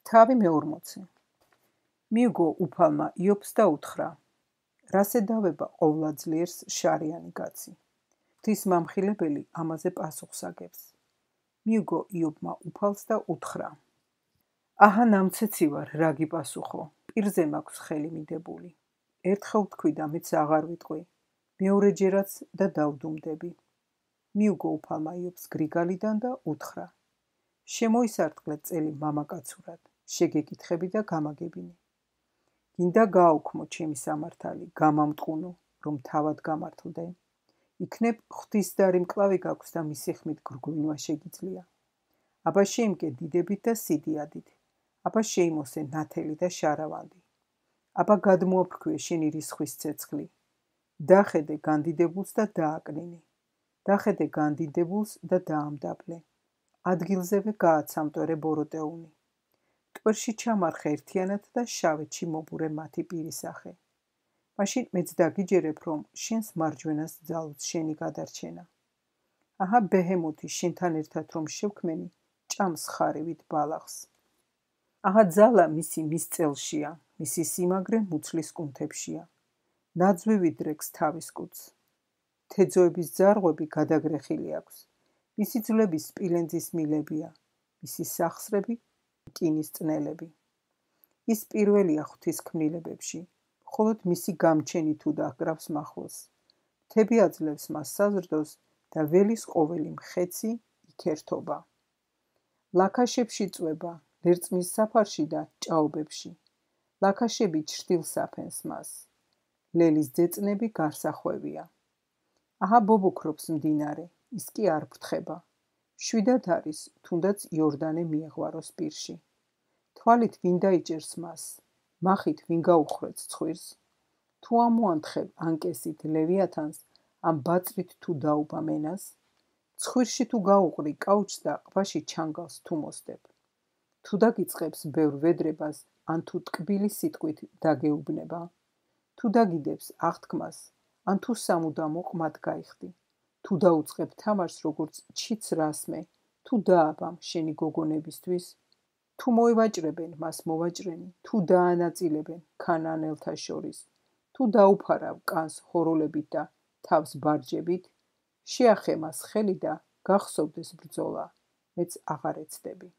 თავი მე-40. მიუგო უფალმა იობს და უთხრა: რას ედავება ყოვლადძლიერს შარიანი კაცი? ღვთის მამხილებელი ამაზე პასუხს აგებს. მიუგო იობმა უფალს და უთხრა: აჰა ნამცეცი ვარ, რა გიპასუხო? პირზე მაქვს ხელი მიდებული. ერთხელ თქვი და მეც აღარ ვიტყვი, მეორეჯერაც და დავდუმდები. მიუგო უფალმა იობს გრიგალიდან და უთხრა: შემოისარტყლე წელი მამაკაცურად, შეგეკითხები და გამაგებინე. გინდა გააუქმო ჩემი სამართალი, გამამტყუნო, რომ თავად გამართლდე. იქნებ ღვთის დარი მკლავი გაქვს და მისი ხმით გრგვინვა შეგიძლია. აბა შეიმკე დიდებით და სიდიადით. აბა შეიმოსე ნათელი და შარავანდი. აბა გადმოაფრქვიე შენი რისხვის ცეცხლი. დახედე განდიდებულს და დააკნინე. დახედე განდიდებულს და დაამდაბლე. ადგილზევე გააცამტვერე ბოროტეუნი. ტვერში ჩამარხე ერთიანად და შავეთში მობურე მათი პირისახე. მაშინ მეც დაგიჯერებ, რომ შენს მარჯვენას ძალუც შენი გადარჩენა. აჰა ბეჰემოთი შენთან ერთად რომ შევქმენი, ჭამს ხარივით ბალახს. აჰა ძალა მისი მის წელშია, მისი სიმაგრე მუცლის კუნთებშია. ნაძვივი დრეგს თავის კუდს. თეძოების ძარღვები გადაგრეხილი აქვს. მისი ძვლები სპილენძის მილებია, მისი სახსრები რკინის წნელები. ის პირველია ღვთის ქმნილებებში, მხოლოდ მისი გამჩენი თუ დაგრავს მახვილს. მთები აძლევს მას საზრდოს და ველის ყოველი მხეცი იქერთობა. ლაქაშებში წვება, ლერწმის საფარში და ჭაობებში. ლაქაშები ჩრდილს აფენს მას. ლელის ძეწნები გარსახვევია. აჰა ბობოქრობს მდინარე, ის კი არ ფრთხება. შვიდად არის, თუნდაც იორდანე მიეღვაროს პირში. თვალით ვინ დაიჭერს მას, მახით ვინ გაუხრեց ცხვირს? თუ ამოანთხებ ანკესით ლევიათანს, ამ ბაწრით თუ დაუბა მენას? ცხვირში თუ გაუყრი კაუჩს და ყბაში ჩანგალს თუ მოსდებ. თუ დაგიწყებს ბევრ ვედრებას, ან თუ ტკბილი სიტყვით დაგეუბნება. თუ დაგიდებს აღთქმას, ან თუ სამუდამო ყმად გაიხდი. თუ დაუწყებ თამარს როგორც ჩიც რასმე, თუ დააბამ შენი გოგონებისთვის, თუ მოევაჭრებენ მას მოვაჭრენი, თუ დაანაწილებენ ქანაანელთა შორის, თუ დაუფარავ კანს ჰოროლებით და თავს ბარჯებით, შეახე მას ხელი და გახსოვდეს ბრძოლა, მეც აღარ ეცდები.